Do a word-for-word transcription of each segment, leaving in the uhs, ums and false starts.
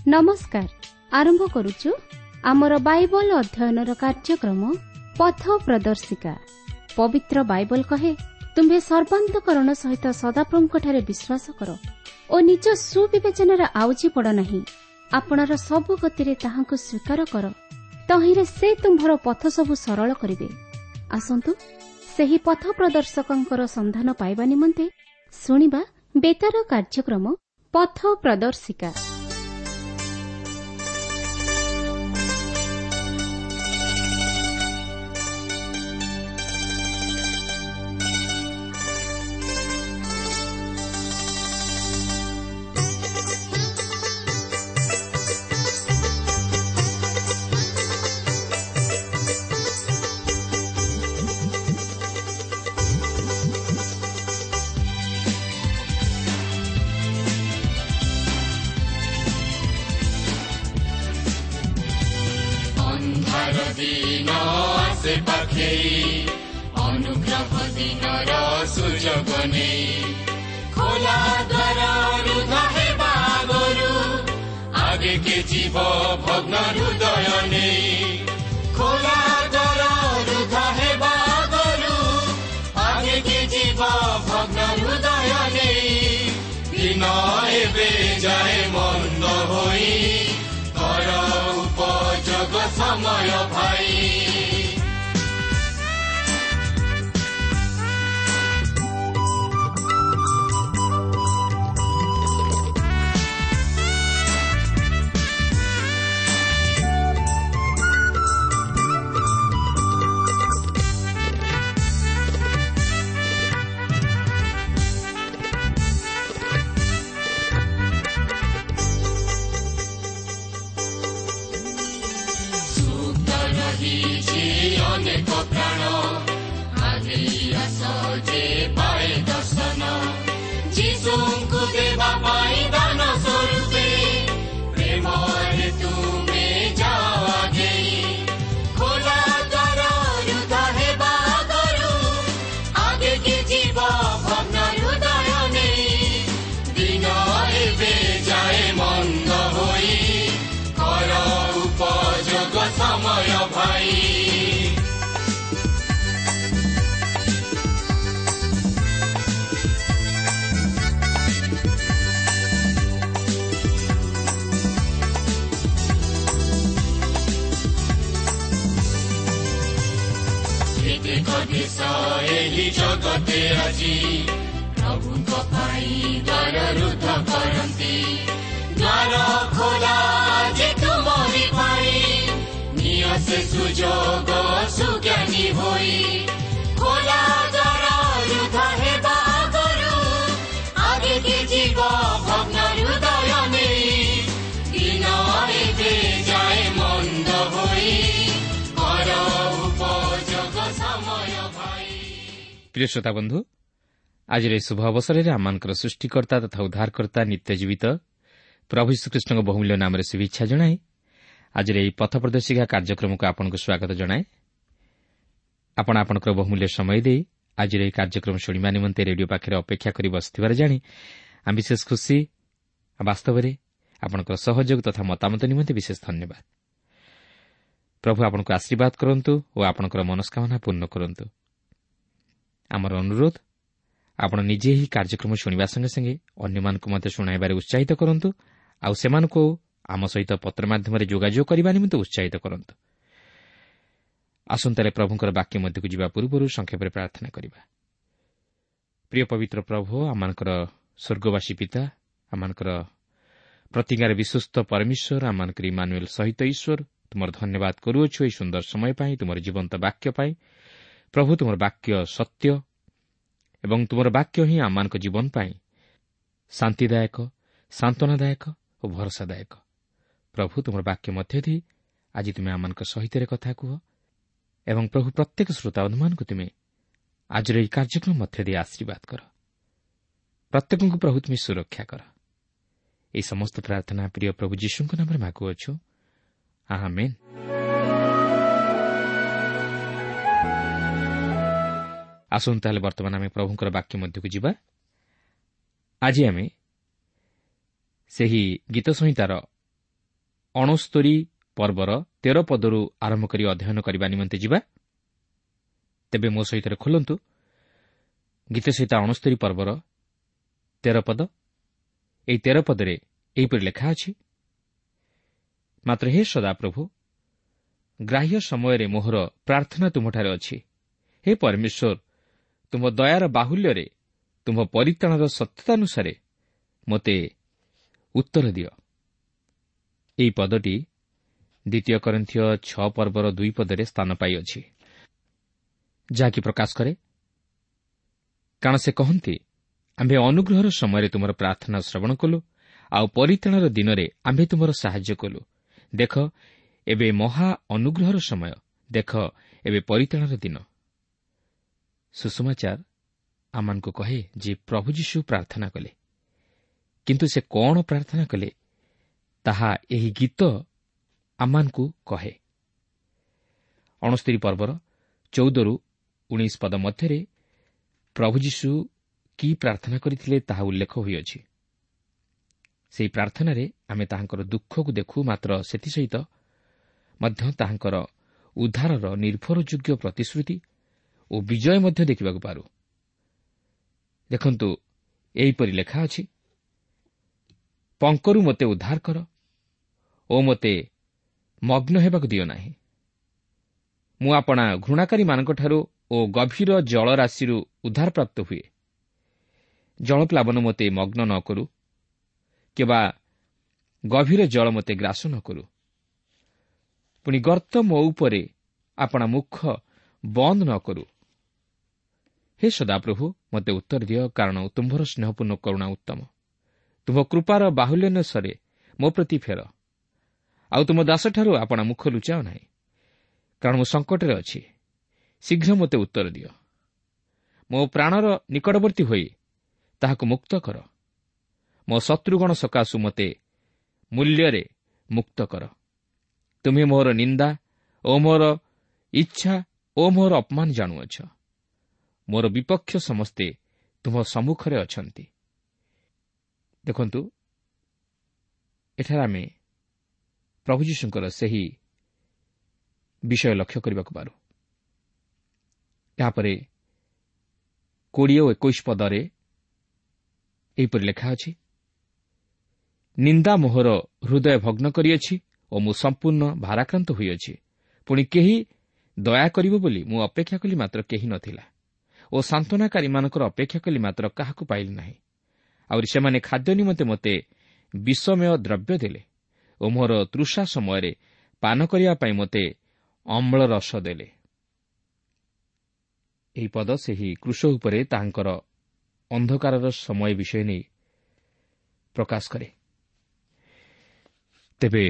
ନମସ୍କାର। ଆରମ୍ଭ କରୁଛୁ ଆମର ବାଇବଲ ଅଧ୍ୟୟନର କାର୍ଯ୍ୟକ୍ରମ ପଥ ପ୍ରଦର୍ଶିକା। ପବିତ୍ର ବାଇବଲ କହେ, ତୁମ୍ଭେ ସର୍ବାନ୍ତକରଣ ସହିତ ସଦାପ୍ରଭୁଙ୍କଠାରେ ବିଶ୍ୱାସ କର ଓ ନିଜ ସୁବିବେଚନାରେ ଆଉଜି ପଡ଼ ନାହିଁ। ଆପଣାର ସବୁ ଗତିରେ ତାହାଙ୍କୁ ସ୍ୱୀକାର କର, ତହିଁରେ ସେ ତୁମ୍ଭର ପଥ ସବୁ ସରଳ କରିବେ। ଆସନ୍ତୁ ସେହି ପଥ ପ୍ରଦର୍ଶକଙ୍କର ସନ୍ଧାନ ପାଇବା ନିମନ୍ତେ ଶୁଣିବା ବେତାର କାର୍ଯ୍ୟକ୍ରମ ପଥ ପ୍ରଦର୍ଶିକା। ଦିନ ଆସେ ପାଖେଇ, ଅନୁଗ୍ରହ ଦିନର ସୁଯୋଗ ନେଇ, ଖୋଲା ଦ୍ୱାର ରୁଦ୍ଧ ହେବା ଆଗରୁ ଆଗେକେ ଯିବ ଭଗ୍ନ ହୃଦୟ ନେଇ। ଖୋଲା ଦ୍ୱାର ରୁଦ୍ଧ ହେବା ଆଗରୁ ଆଗେକେ ଯିବ ଭଗ୍ନ ହୃଦୟ ନେଇ। ଦିନ ଏବେ ଯାଏ ମନ୍ଦ ହୋଇ, କର ଉପଯୋଗ ସମୟ ଭାଇ। ରହିଛି ଅନେକ ପ୍ରାଣ, ଆଗେଇ ଆସ ଯେ ପାଏ ଦର୍ଶନ। ଯୀଶୁଙ୍କୁ ଦେବା ପାଇଁ ଦାନ ସ୍ୱରୂପେ ପ୍ରେମରେ ତୁମେ ଯାଅ ଆଗେଇ। ଖୋଲା ଦ୍ୱାର ରୁଦ୍ଧ ହେବା ଆଗରୁ ଆଗେକି ଯିବ ଭଗ୍ନ ହୃଦୟ ନେଇ। ଦିନ ଏବେ ଯାଏ ମନ୍ଦ ହୋଇ, କର ଉପଯୋଗ ସମୟ ଭାଇ। କେତେକ ଦେଶ ଏହି ଜଗତେ ଆଜି ପ୍ରଭୁଙ୍କ ପାଇଁ ଦ୍ୱାର ରୁଦ୍ଧ କରନ୍ତି। ଦ୍ୱାର ଖୋଲା ଯେ ତୁମରି ପାଇଁ, ନିଅ ସେ ସୁଯୋଗ ସୁଜ୍ଞାନୀ ହୋଇ। ଖୋଲା ଦ୍ୱାର ରୁଦ୍ଧ ହେବା ଆଗରୁ ଆଗେକି ଯିବ ଭଗ୍ନ ହୃଦୟ ନେଇ। ଦିନ ଏବେ ଯାଏ ମନ୍ଦ ହୋଇ, କର ଉପଯୋଗ ସମୟ ଭାଇ। ପ୍ରିୟ ଶ୍ରୋତା ବନ୍ଧୁ, ଆଜିର ଏହି ଶୁଭ ଅବସରରେ ଆମମାନଙ୍କର ସୃଷ୍ଟିକର୍ତ୍ତା ତଥା ଉଦ୍ଧାରକର୍ତ୍ତା ନିତ୍ୟ ଜୀବିତ ପ୍ରଭୁ ଯୀଶୁଖ୍ରୀଷ୍ଟଙ୍କ ବହୁମୂଲ୍ୟ ନାମରେ ଶୁଭେଚ୍ଛା ଜଣାଇ ଆଜିର ଏହି ପଥ ପ୍ରଦର୍ଶିକା କାର୍ଯ୍ୟକ୍ରମକୁ ଆପଣଙ୍କୁ ସ୍ୱାଗତ ଜଣାଏ। ଆପଣ ଆପଣଙ୍କର ବହୁମୂଲ୍ୟ ସମୟ ଦେଇ ଆଜିର ଏହି କାର୍ଯ୍ୟକ୍ରମ ଶୁଣିବା ନିମନ୍ତେ ରେଡିଓ ପାଖରେ ଅପେକ୍ଷା କରି ବସିଥିବାର ଜାଣି ଆମେ ବିଶେଷ ଖୁସି। ବାସ୍ତବରେ ଆପଣଙ୍କର ସହଯୋଗ ତଥା ମତାମତ ନିମନ୍ତେ ବିଶେଷ ଧନ୍ୟବାଦ। ପ୍ରଭୁ ଆପଣଙ୍କୁ ଆଶୀର୍ବାଦ କରନ୍ତୁ ଓ ଆପଣଙ୍କର ମନସ୍କାମନା ପୂର୍ଣ୍ଣ କରନ୍ତୁ। ଆମର ଅନୁରୋଧ, ଆପଣ ନିଜେ ଏହି କାର୍ଯ୍ୟକ୍ରମ ଶୁଣିବା ସଙ୍ଗେ ସଙ୍ଗେ ଅନ୍ୟମାନଙ୍କୁ ମଧ୍ୟ ଶୁଣାଇବାରେ ଉତ୍ସାହିତ କରନ୍ତୁ ଆଉ ସେମାନଙ୍କୁ ଆମ ସହିତ ପତ୍ର ମାଧ୍ୟମରେ ଯୋଗାଯୋଗ କରିବା ନିମନ୍ତେ ଉତ୍ସାହିତ କରନ୍ତୁ। ଆସନ୍ତାରେ ପ୍ରଭୁଙ୍କର ବାକ୍ୟ ମଧ୍ୟକୁ ଯିବା ପୂର୍ବରୁ ସଂକ୍ଷେପରେ ପ୍ରାର୍ଥନା କରିବା। ପ୍ରିୟ ପବିତ୍ର ପ୍ରଭୁ, ଆମମାନଙ୍କର ସ୍ୱର୍ଗବାସୀ ପିତା, ଆମମାନଙ୍କର ପ୍ରତିଜ୍ଞାରେ ବିଶ୍ୱସ୍ତ ପରମେଶ୍ୱର, ଆମମାନଙ୍କର ଇମାନୁଏଲ ସହିତ ଈଶ୍ୱର, ତୁମର ଧନ୍ୟବାଦ କରୁଅଛୁ ଏହି ସୁନ୍ଦର ସମୟ ପାଇଁ, ତୁମର ଜୀବନ୍ତ ବାକ୍ୟ ପାଇଁ। ପ୍ରଭୁ, ତୁମର ବାକ୍ୟ ସତ୍ୟ ଏବଂ ତୁମର ବାକ୍ୟ ହିଁ ଆମମାନଙ୍କ ଜୀବନ ପାଇଁ ଶାନ୍ତିଦାୟକ, ସାନ୍ତ୍ୱନାଦାୟକ ଓ ଭରସାଦାୟକ। ପ୍ରଭୁ, ତୁମର ବାକ୍ୟ ମଧ୍ୟ ଦେଇ ଆଜି ତୁମେ ଆମମାନଙ୍କ ସହିତ କଥା କୁହ ଏବଂ ପ୍ରଭୁ ପ୍ରତ୍ୟେକ ଶ୍ରୋତାବନ୍ଧୁମାନଙ୍କୁ ତୁମେ ଆଜିର ଏହି କାର୍ଯ୍ୟକ୍ରମ ମଧ୍ୟ ଦେଇ ଆଶୀର୍ବାଦ କର। ପ୍ରତ୍ୟେକଙ୍କୁ ପ୍ରଭୁ ତୁମେ ସୁରକ୍ଷା କର। ଏହି ସମସ୍ତ ପ୍ରାର୍ଥନା ପ୍ରିୟ ପ୍ରଭୁ ଯୀଶୁଙ୍କ ନାମରେ ମାଗୁଅଛୁ, ଆମେନ୍। ଆସନ୍ତୁ ତାହେଲେ ବର୍ତ୍ତମାନ ଆମେ ପ୍ରଭୁଙ୍କର ବାକ୍ୟ ମଧ୍ୟକୁ ଯିବା। ଆଜି ଆମେ ସେହି ଗୀତ ସଂହିତାର ଅଣସ୍ତରୀ ପର୍ବର ତେର ପଦରୁ ଆରମ୍ଭ କରି ଅଧ୍ୟୟନ କରିବା ନିମନ୍ତେ ଯିବା। ତେବେ ମୋ ସହିତ ଖୋଲନ୍ତୁ ଗୀତ ସହିତ ଅଣସ୍ତରୀ ପର୍ବର ତେର ପଦ। ଏହି ତେର ପଦରେ ଏହିପରି ଲେଖା ଅଛି, ମାତ୍ର ହେ ସଦାପ୍ରଭୁ, ଗ୍ରାହ୍ୟ ସମୟରେ ମୋହର ପ୍ରାର୍ଥନା ତୁମ୍ଭଠାରେ ଅଛି। ହେ ପରମେଶ୍ୱର, ତୁମ୍ଭ ଦୟାର ବାହୁଲ୍ୟରେ ତୁମ୍ଭ ପରିତ୍ରାଣର ସତ୍ୟତାନୁସାରେ ମୋତେ ଉତ୍ତର ଦିଅ। ଏହି ପଦଟି ଦ୍ୱିତୀୟ କରିନ୍ଥୀୟ ଛଅ ପର୍ବର ଦୁଇ ପଦରେ ସ୍ଥାନ ପାଇଅଛି, ଯାହାକି ପ୍ରକାଶ କରେ, କାରଣ ସେ କହନ୍ତି, ଆମ୍ଭେ ଅନୁଗ୍ରହର ସମୟରେ ତୁମର ପ୍ରାର୍ଥନା ଶ୍ରବଣ କଲୁ, ଆଉ ପରିତ୍ରାଣର ଦିନରେ ଆମ୍ଭେ ତୁମର ସାହାଯ୍ୟ କଲୁ। ଦେଖ, ଏବେ ମହା ଅନୁଗ୍ରହର ସମୟ, ଦେଖ, ଏବେ ପରିତ୍ରାଣର ଦିନ। ସୁସମାଚାର ଆମମାନଙ୍କୁ କହେ ଯେ ପ୍ରଭୁ ଯୀଶୁ ପ୍ରାର୍ଥନା କଲେ, କିନ୍ତୁ ସେ କ'ଣ ପ୍ରାର୍ଥନା କଲେ ତାହା ଏହି ଗୀତ ଆମମାନଙ୍କୁ କହେ। ଅଣସ୍ତରୀ ପର୍ବର ଚଉଦରୁ ଉଣେଇଶ ପଦ ମଧ୍ୟରେ ପ୍ରଭୁ ଯୀଶୁ କି ପ୍ରାର୍ଥନା କରିଥିଲେ ତାହା ଉଲ୍ଲେଖ ହୋଇଅଛି। ସେହି ପ୍ରାର୍ଥନାରେ ଆମେ ତାହାଙ୍କର ଦୁଃଖକୁ ଦେଖୁ, ମାତ୍ର ସେଥିସହିତ ମଧ୍ୟ ତାହାଙ୍କର ଉଦ୍ଧାରର ନିର୍ଭରଯୋଗ୍ୟ ପ୍ରତିଶ୍ରୁତି ଓ ବିଜୟ ମଧ୍ୟ ଦେଖିବାକୁ ପାରୁ। ଦେଖନ୍ତୁ, ଏହିପରି ଲେଖା ଅଛି, ପଙ୍କରୁ ମୋତେ ଉଦ୍ଧାର କର ଓ ମୋତେ ମଗ୍ନ ହେବାକୁ ଦିଅ ନାହିଁ। ମୁଁ ଆପଣା ଘୃଣାକାରୀମାନଙ୍କଠାରୁ ଓ ଗଭୀର ଜଳରାଶିରୁ ଉଦ୍ଧାରପ୍ରାପ୍ତ ହୁଏ। ଜଳପ୍ଲାବନ ମୋତେ ମଗ୍ନ ନ କରୁ, କିମ୍ବା ଗଭୀର ଜଳ ମୋତେ ଗ୍ରାସ ନ କରୁ। ପୁଣି ଗର୍ତ୍ତ ମୋ ଉପରେ ଆପଣା ମୁଖ ବନ୍ଦ ନ କରୁ। ହେ ସଦାପ୍ରଭୁ, ମୋତେ ଉତ୍ତର ଦିଅ, କାରଣ ତୁମ୍ଭର ସ୍ନେହପୂର୍ଣ୍ଣ କରୁଣା ଉତ୍ତମ। ତୁମ୍ଭ କୃପାର ବାହୁଲ୍ୟାନୁସାରେ ମୋ ପ୍ରତି ଫେର, ଆଉ ତୁମ ଦାସଠାରୁ ଆପଣା ମୁଖ ଲୁଚାଅ ନାହିଁ, କାରଣ ମୁଁ ସଙ୍କଟରେ ଅଛି। ଶୀଘ୍ର ମୋତେ ଉତ୍ତର ଦିଅ। ମୋ ପ୍ରାଣର ନିକଟବର୍ତ୍ତୀ ହୋଇ ତାହାକୁ ମୁକ୍ତ କର। ମୋ ଶତ୍ରୁଗଣ ସକାଶୁ ମୋତେ ମୂଲ୍ୟରେ ମୁକ୍ତ କର। ତୁମେ ମୋର ନିନ୍ଦା ଓ ମୋର ଇଚ୍ଛା ଓ ମୋର ଅପମାନ ଜାଣୁଅଛ। ମୋର ବିପକ୍ଷ ସମସ୍ତେ ତୁମ ସମ୍ମୁଖରେ ଅଛନ୍ତି। ଦେଖନ୍ତୁ, ଏଠାରେ ଆମେ ପ୍ରଭୁ ଯୀଶୁଙ୍କର ସେହି ବିଷୟ ଲକ୍ଷ୍ୟ କରିବାକୁ ପାରୁ। ଏହାପରେ କୋଡ଼ିଏ ଓ ଏକୋଇଶ ପଦରେ ଏହିପରି ଲେଖା ଅଛି, ନିନ୍ଦା ମୋହର ହୃଦୟ ଭଗ୍ନ କରିଅଛି ଓ ମୁଁ ସମ୍ପୂର୍ଣ୍ଣ ଭାରାକ୍ରାନ୍ତ ହୋଇଅଛି। ପୁଣି କେହି ଦୟା କରିବ ବୋଲି ମୁଁ ଅପେକ୍ଷା କଲି, ମାତ୍ର କେହି ନଥିଲା, ଓ ସାନ୍ତ୍ୱନାକାରୀମାନଙ୍କର ଅପେକ୍ଷା କଲି, ମାତ୍ର କାହାକୁ ପାଇଲି ନାହିଁ। ଆହୁରି ସେମାନେ ଖାଦ୍ୟ ନିମନ୍ତେ ମୋତେ ବିଷମୟ ଦ୍ରବ୍ୟ ଦେଲେ ଓ ମୋର ତୃଷା ସମୟରେ ପାନ କରିବା ପାଇଁ ମୋତେ ଅମ୍ଳ ରସ ଦେଲେ। ଏହି ପଦ ସେହି କ୍ରୁଶ ଉପରେ ତାହାଙ୍କର ଅନ୍ଧକାରର ସମୟ ବିଷୟ ନେଇ ପ୍ରକାଶ କରେ। ତେବେ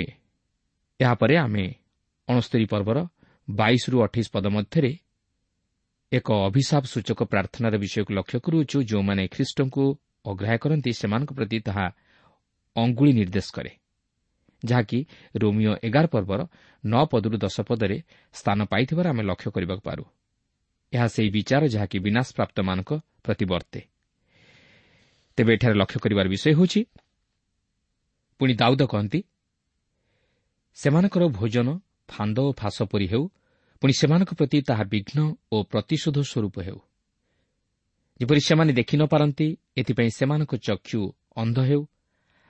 ଏହାପରେ ଆମେ ଅଣସ୍ତରୀ ପର୍ବର ବାଇଶରୁ ଅଠେଇଶ ପଦ ମଧ୍ୟରେ ଏକ ଅଭିଶାପ ସୂଚକ ପ୍ରାର୍ଥନାର ବିଷୟକୁ ଲକ୍ଷ୍ୟ କରୁଅଛୁ। ଯେଉଁମାନେ ଖ୍ରୀଷ୍ଟଙ୍କୁ ଅଗ୍ରାହ୍ୟ କରନ୍ତି ସେମାନଙ୍କ ପ୍ରତି ତାହା ଅଙ୍ଗୁଳି ନିର୍ଦ୍ଦେଶ କରେ, ଯାହାକି ରୋମିଓ ଏଗାର ପର୍ବର ନଅ ପଦରୁ ଦଶ ପଦରେ ସ୍ଥାନ ପାଇଥିବାର ଆମେ ଲକ୍ଷ୍ୟ କରିବାକୁ ପାରୁ। ଏହା ସେହି ବିଚାର ଯାହାକି ବିନାଶପ୍ରାପ୍ତମାନଙ୍କ ପ୍ରତି ବର୍ତ୍ତେ। ତେବେ ଏଠାରେ ଲକ୍ଷ୍ୟ କରିବାର ବିଷୟ ହେଉଛି, ପୁଣି ଦାଉଦ କହନ୍ତି, ସେମାନଙ୍କର ଭୋଜନ ଫାନ୍ଦ ଓ ଫାଶ ପରି ହେଉ, ପୁଣି ସେମାନଙ୍କ ପ୍ରତି ତାହା ବିଘ୍ନ ଓ ପ୍ରତିଶୋଧ ସ୍ୱରୂପ ହେଉ। ଯେପରି ସେମାନେ ଦେଖି ନ ପାରନ୍ତି, ଏଥିପାଇଁ ସେମାନଙ୍କ ଚକ୍ଷୁ ଅନ୍ଧ ହେଉ,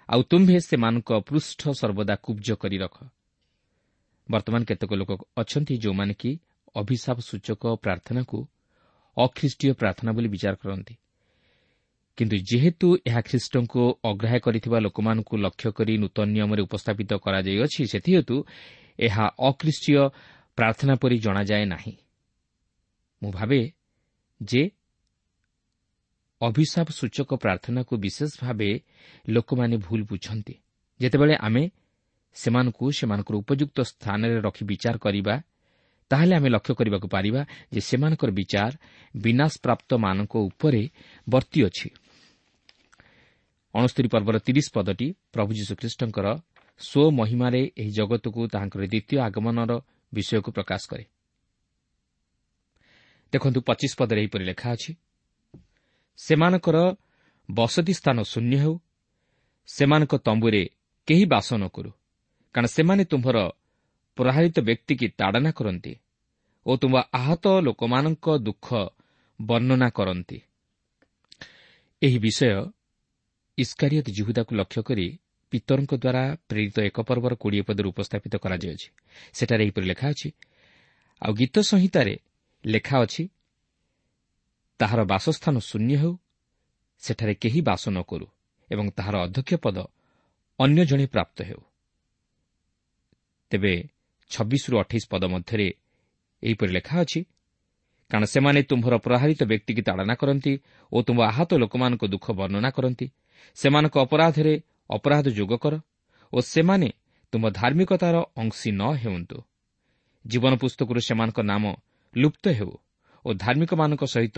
ଆଉ ତୁମ୍ଭେ ସେମାନଙ୍କ ପୃଷ୍ଠ ସର୍ବଦା କୁବ୍ଜ କରି ରଖ। ବର୍ତ୍ତମାନ କେତେକ ଲୋକ ଅଛନ୍ତି ଯେଉଁମାନେ କି ଅଭିଶାପ ସୂଚକ ପ୍ରାର୍ଥନାକୁ ଅଖ୍ରୀଷ୍ଟୀୟ ପ୍ରାର୍ଥନା ବୋଲି ବିଚାର କରନ୍ତି। କିନ୍ତୁ ଯେହେତୁ ଏହା ଖ୍ରୀଷ୍ଟଙ୍କୁ ଅଗ୍ରାହ୍ୟ କରିଥିବା ଲୋକମାନଙ୍କୁ ଲକ୍ଷ୍ୟ କରି ନୂତନ ନିୟମରେ ଉପସ୍ଥାପିତ କରାଯାଇଅଛି, ସେଥିହେତୁ ଏହା ଅଖ୍ରୀଷ୍ଟୀୟ ପ୍ରାର୍ଥନା ପରି ଜଣାଯାଏ ନାହିଁ। ମୁଁ ଭାବେ ଯେ ଅଭିଶାପ ସୂଚକ ପ୍ରାର୍ଥନାକୁ ବିଶେଷ ଭାବେ ଲୋକମାନେ ଭୁଲ ବୁଝନ୍ତି। ଯେତେବେଳେ ଆମେ ସେମାନଙ୍କୁ ସେମାନଙ୍କର ଉପଯୁକ୍ତ ସ୍ଥାନରେ ରଖି ବିଚାର କରିବା, ତାହେଲେ ଆମେ ଲକ୍ଷ୍ୟ କରିବାକୁ ପାରିବା ଯେ ସେମାନଙ୍କର ବିଚାର ବିନାଶପ୍ରାପ୍ତମାନଙ୍କ ଉପରେ ବର୍ତ୍ତିଅଛି। ଅଣସ୍ତରୀ ପର୍ବର ତିରିଶ ପଦଟି ପ୍ରଭୁ ଯୀଶୁଖ୍ରୀଷ୍ଟଙ୍କର ସ୍ୱମହିମାରେ ଏହି ଜଗତକୁ ତାହାଙ୍କର ଦ୍ୱିତୀୟ ଆଗମନର ବିଷୟକୁ ପ୍ରକାଶ କରେ। ଦେଖନ୍ତୁ, ପଚିଶ ପଦରେ ଏହିପରି ଲେଖା ଅଛି, ସେମାନଙ୍କର ବସତି ସ୍ଥାନ ଶୂନ୍ୟ ହେଉ, ସେମାନଙ୍କ ତମ୍ବୁରେ କେହି ବାସ ନ କରୁ, କାରଣ ସେମାନେ ତୁମ୍ଭର ପ୍ରହାରିତ ବ୍ୟକ୍ତିକି ତାଡ଼ନା କରନ୍ତି ଓ ତୁମ୍ଭ ଆହତ ଲୋକମାନଙ୍କ ଦୁଃଖ ବର୍ଣ୍ଣନା କରନ୍ତି। ଏହି ବିଷୟ ଇସ୍କାରିୟତ ଜିହୁଦାକୁ ଲକ୍ଷ୍ୟ କରି ପିତରଙ୍କ ଦ୍ୱାରା ପ୍ରେରିତ ଏକ ପର୍ବର କୋଡ଼ିଏ ପଦରେ ଉପସ୍ଥାପିତ କରାଯାଇଅଛି। ସେଠାରେ ଏହିପରି ଲେଖା ଅଛି, ଆଉ ଗୀତ ସଂହିତାରେ ଲେଖା ଅଛି, ତାହାର ବାସସ୍ଥାନ ଶୂନ୍ୟ ହେଉ, ସେଠାରେ କେହି ବାସ ନ କରୁ ଏବଂ ତାହାର ଅଧ୍ୟକ୍ଷ ପଦ ଅନ୍ୟ ଜଣେ ପ୍ରାପ୍ତ ହେଉ। ତେବେ ଛବିଶରୁ ଅଠେଇଶ ପଦ ମଧ୍ୟରେ ଏହିପରି ଲେଖା ଅଛି, କାରଣ ସେମାନେ ତୁମ୍ଭର ପ୍ରହାରିତ ବ୍ୟକ୍ତିକି ତାଡ଼ନା କରନ୍ତି ଓ ତୁମ୍ଭ ଆହତ ଲୋକମାନଙ୍କ ଦୁଃଖ ବର୍ଣ୍ଣନା କରନ୍ତି। ସେମାନଙ୍କ ଅପରାଧରେ ଅପରାଧ ଯୋଗ କର ଓ ସେମାନେ ତୁମ୍ଭ ଧାର୍ମିକତାର ଅଂଶୀ ନ ହେଉନ୍ତୁ। ଜୀବନ ପୁସ୍ତକରୁ ସେମାନଙ୍କ ନାମ ଲୁପ୍ତ ହେଉ ଓ ଧାର୍ମିକମାନଙ୍କ ସହିତ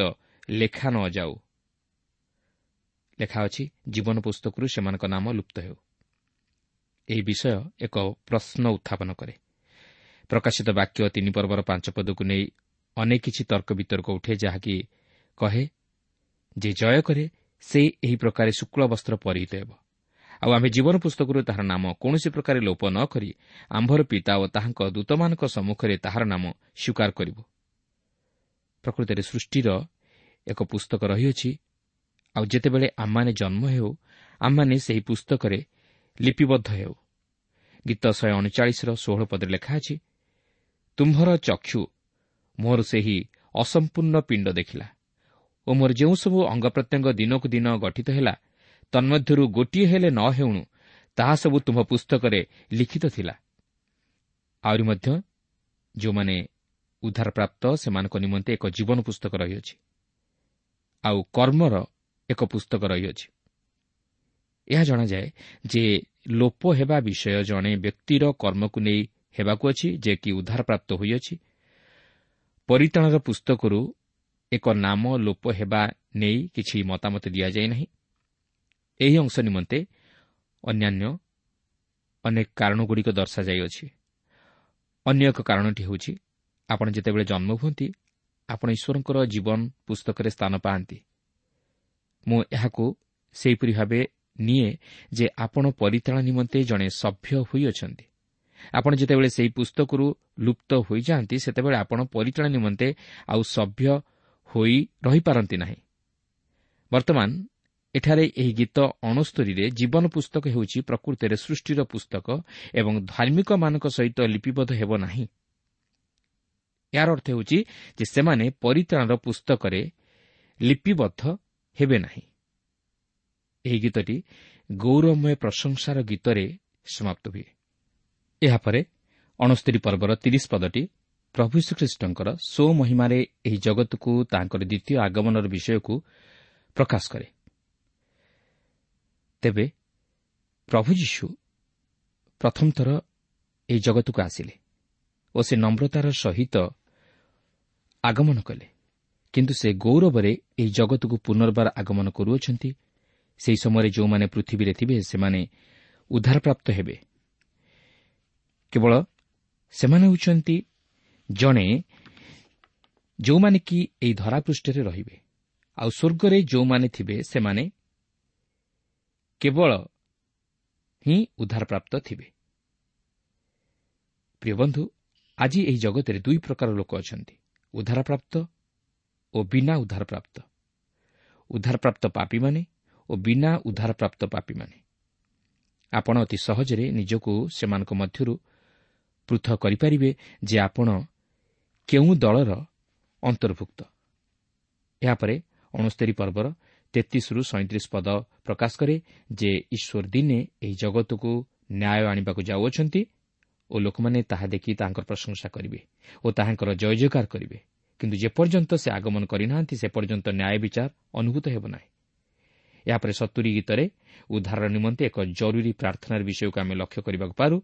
ଲେଖା ନ ଯାଉ। ଲେଖା ଅଛି, ଜୀବନ ପୁସ୍ତକରୁ ସେମାନଙ୍କ ନାମ ଲୁପ୍ତ ହେଉ। ଏହି ବିଷୟ ଏକ ପ୍ରଶ୍ନ ଉତ୍ଥାପନ କରେ। ପ୍ରକାଶିତ ବାକ୍ୟ ତିନି ପର୍ବର ପାଞ୍ଚ ପଦକୁ ନେଇ ଅନେକ କିଛି ତର୍କ ବିତର୍କ ଉଠେ, ଯାହାକି କହେ ଯେ ଜୟ କରେ ସେ ଏହି ପ୍ରକାରେ ଶୁକ୍ଳ ବସ୍ତ୍ର ପରିହିତ ହେବ, ଆଉ ଆମେ ଜୀବନ ପୁସ୍ତକରୁ ତାହାର ନାମ କୌଣସି ପ୍ରକାରେ ଲୋପ ନ କରି ଆମ୍ଭର ପିତା ଓ ତାହାଙ୍କ ଦୂତମାନଙ୍କ ସମ୍ମୁଖରେ ତାହାର ନାମ ସ୍ୱୀକାର କରିବୁ। ପ୍ରକୃତରେ ସୃଷ୍ଟିର ଏକ ପୁସ୍ତକ ରହିଅଛି, ଆଉ ଯେତେବେଳେ ଆମମାନେ ଜନ୍ମ ହେଉ ଆମମାନେ ସେହି ପୁସ୍ତକରେ ଲିପିବଦ୍ଧ ହେଉ। ଗୀତ ଶହେ ଅଣଚାଳିଶର ଷୋହଳ ପଦରେ ଲେଖା ଅଛି, ତୁମ୍ଭର ଚକ୍ଷୁ ମୋର ସେହି ଅସମ୍ପୂର୍ଣ୍ଣ ପିଣ୍ଡ ଦେଖିଲା ଓ ମୋର ଯେଉଁସବୁ ଅଙ୍ଗ ପ୍ରତ୍ୟଙ୍ଗ ଦିନକୁ ଦିନ ଗଠିତ ହେଲା ତନ୍ମଧ୍ୟରୁ ଗୋଟିଏ ହେଲେ ନ ହେଉଣୁ ତାହା ସବୁ ତୁମ୍ଭ ପୁସ୍ତକରେ ଲିଖିତ ଥିଲା। ଆହୁରି ମଧ୍ୟ ଯେଉଁମାନେ ଉଦ୍ଧାରପ୍ରାପ୍ତ ସେମାନଙ୍କ ନିମନ୍ତେ ଏକ ଜୀବନ ପୁସ୍ତକ ରହିଅଛି, ଆଉ କର୍ମର ଏକ ପୁସ୍ତକ ରହିଅଛି। ଏହା ଜଣାଯାଏ ଯେ ଲୋପ ହେବା ବିଷୟ ଜଣେ ବ୍ୟକ୍ତିର କର୍ମକୁ ନେଇ ହେବାକୁ ଅଛି, ଯେ କି ଉଦ୍ଧାରପ୍ରାପ୍ତ ହୋଇଅଛି। ପରିତ୍ରାଣର ପୁସ୍ତକରୁ ଏକ ନାମ ଲୋପ ହେବା ନେଇ କିଛି ମତାମତ ଦିଆଯାଇ ନାହିଁ। ଏହି ଅଂଶ ନିମନ୍ତେ ଅନ୍ୟାନ୍ୟ ଅନେକ କାରଣଗୁଡ଼ିକ ଦର୍ଶାଯାଇଅଛି। ଅନ୍ୟ ଏକ କାରଣଟି ହେଉଛି, ଆପଣ ଯେତେବେଳେ ଜନ୍ମ ହୁଅନ୍ତି ଆପଣ ଈଶ୍ୱରଙ୍କର ଜୀବନ ପୁସ୍ତକରେ ସ୍ଥାନ ପାଆନ୍ତି। ମୁଁ ଏହାକୁ ସେହିପରି ଭାବେ ନିଏ ଯେ ଆପଣ ପରିତ୍ରାଣ ନିମନ୍ତେ ଜଣେ ସଭ୍ୟ ହୋଇଅଛନ୍ତି। ଆପଣ ଯେତେବେଳେ ସେହି ପୁସ୍ତକରୁ ଲୁପ୍ତ ହୋଇଯାଆନ୍ତି ସେତେବେଳେ ଆପଣ ପରିତ୍ରାଣ ନିମନ୍ତେ ଆଉ ସଭ୍ୟ ହୋଇ ରହିପାରନ୍ତି ନାହିଁ। ବର୍ତ୍ତମାନ ଏଠାରେ ଏହି ଗୀତ ଅଣସ୍ତରୀରେ ଜୀବନ ପୁସ୍ତକ ହେଉଛି ପ୍ରକୃତରେ ସୃଷ୍ଟିର ପୁସ୍ତକ ଏବଂ ଧାର୍ମିକମାନଙ୍କ ସହିତ ଲିପିବଦ୍ଧ ହେବ ନାହିଁ। ଏହାର ଅର୍ଥ ହେଉଛି ଯେ ସେମାନେ ପରିତ୍ରାଣର ପୁସ୍ତକରେ ଲିପିବଦ୍ଧ ହେବେ ନାହିଁ। ଏହି ଗୀତଟି ଗୌରବମୟ ପ୍ରଶଂସାର ଗୀତରେ ସମାପ୍ତ ହୁଏ। ଏହାପରେ ଅଣସ୍ତରୀ ପର୍ବର ତିରିଶ ପଦଟି ପ୍ରଭୁ ଯୀଶୁଖ୍ରୀଷ୍ଟଙ୍କର ସ୍ୱମହିମାରେ ଏହି ଜଗତକୁ ତାଙ୍କର ଦ୍ୱିତୀୟ ଆଗମନର ବିଷୟକୁ ପ୍ରକାଶ କରେ। ତେବେ ପ୍ରଭୁ ଯୀଶୁ ପ୍ରଥମ ଥର ଏହି ଜଗତକୁ ଆସିଲେ ଓ ସେ ନମ୍ରତାର ସହିତ ଆଗମନ କଲେ, କିନ୍ତୁ ସେ ଗୌରବରେ ଏହି ଜଗତକୁ ପୁନର୍ବାର ଆଗମନ କରୁଅଛନ୍ତି। ସେହି ସମୟରେ ଯେଉଁମାନେ ପୃଥିବୀରେ ଥିବେ ସେମାନେ ଉଦ୍ଧାରପ୍ରାପ୍ତ ହେବେ। କେବଳ ସେମାନେ ହେଉଛନ୍ତି ଜଣେ ଯେଉଁମାନେ କି ଏହି ଧରାପୃଷ୍ଠରେ ରହିବେ, ଆଉ ସ୍ୱର୍ଗରେ ଯେଉଁମାନେ ଥିବେ ସେମାନେ କେବଳ ହିଁ ଉଦ୍ଧାରପ୍ରାପ୍ତ ଥିବେ। ପ୍ରିୟ ବନ୍ଧୁ, ଆଜି ଏହି ଜଗତରେ ଦୁଇ ପ୍ରକାର ଲୋକ ଅଛନ୍ତି, ଉଦ୍ଧାରପ୍ରାପ୍ତ ଓ ବିନା ଉଦ୍ଧାରପ୍ରାପ୍ତ। ଉଦ୍ଧାରପ୍ରାପ୍ତ ପାପୀମାନେ ଓ ବିନା ଉଦ୍ଧାରପ୍ରାପ୍ତ ପାପୀମାନେ। ଆପଣ ଅତି ସହଜରେ ନିଜକୁ ସେମାନଙ୍କ ମଧ୍ୟରୁ ପୃଥକ କରିପାରିବେ ଯେ ଆପଣ କେଉଁ ଦଳର ଅନ୍ତର୍ଭୁକ୍ତ। ଏହାପରେ ଅଣସ୍ତରୀ ପର୍ବର ତେତିଶରୁ ସଇଁତିରିଶ ପଦ ପ୍ରକାଶ କରେ ଯେ ଈଶ୍ୱର ଦିନେ ଏହି ଜଗତକୁ ନ୍ୟାୟ ଆଣିବାକୁ ଯାଉଅଛନ୍ତି ଓ ଲୋକମାନେ ତାହା ଦେଖି ତାହାଙ୍କର ପ୍ରଶଂସା କରିବେ ଓ ତାହାଙ୍କର ଜୟ ଜୟକାର କରିବେ। କିନ୍ତୁ ଯେପର୍ଯ୍ୟନ୍ତ ସେ ଆଗମନ କରିନାହାନ୍ତି ସେ ପର୍ଯ୍ୟନ୍ତ ନ୍ୟାୟ ବିଚାର ଅନୁଭୂତ ହେବ ନାହିଁ। ଏହାପରେ ସତୁରୀ ଗୀତରେ ଉଦ୍ଧାର ନିମନ୍ତେ ଏକ ଜରୁରୀ ପ୍ରାର୍ଥନାର ବିଷୟକୁ ଆମେ ଲକ୍ଷ୍ୟ କରିବାକୁ ପାରୁ।